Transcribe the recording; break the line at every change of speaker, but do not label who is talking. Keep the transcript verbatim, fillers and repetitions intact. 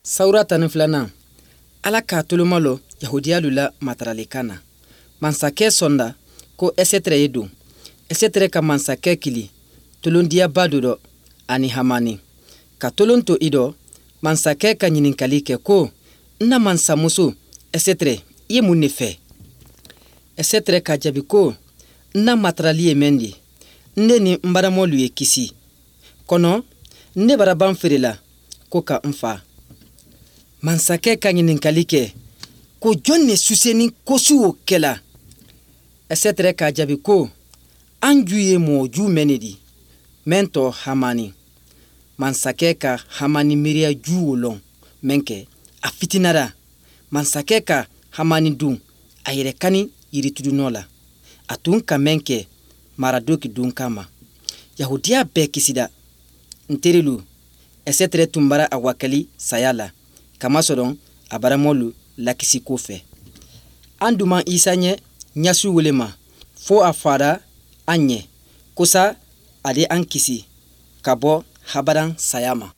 Sawura tan ni filanan, Ala k'a tolomalɔ Yahudiyalu la mataralikan na. Mansakɛ sɔnda ko Ɛsɛtɛrɛ ye don. Ɛsɛtɛrɛ ka mansakɛ kili tolondiyaba dɔ dɔ ani Hamani. Ka tolon to i dɔ, mansakɛ ka ɲininkali kɛ ko, n na mansamuso Ɛsɛtɛrɛ, i ye mun de fɛ? Ɛsɛtɛrɛ ka jaabi ko, n na matarali ye mɛn di, n ne ni n baramɔlu ye kisi. Kɔnɔ, ne bara ban feere la ko ka n fa. Mansakɛ ka ɲininkali kɛ ko jɔn ne suseni kosu o kɛla? Ɛsɛtɛrɛ k'a jaabi ko, an ju ye mɔgɔ ju mɛn ne di, mɛn tɔ Hamani. Mansakɛ ka Hamani miiriya ju o lɔn mɛn kɛ, a fitinara. Mansakɛ ka Hamani dun a yɛrɛ kani yirituru nɔ la. A tun ka mɛn kɛ Maradoki dun kama. Yahudiya bɛɛ kisida. N terilu, Ɛsɛtɛrɛ tun bara a wakali saya la, kamasɔrɔ a baramɔlu lakisi ko fɛ. An duman Isa ɲɛ ɲasu wele ma, fo a fara an ɲɛ, kosa ale an kisi ka bɔ habaran saya ma.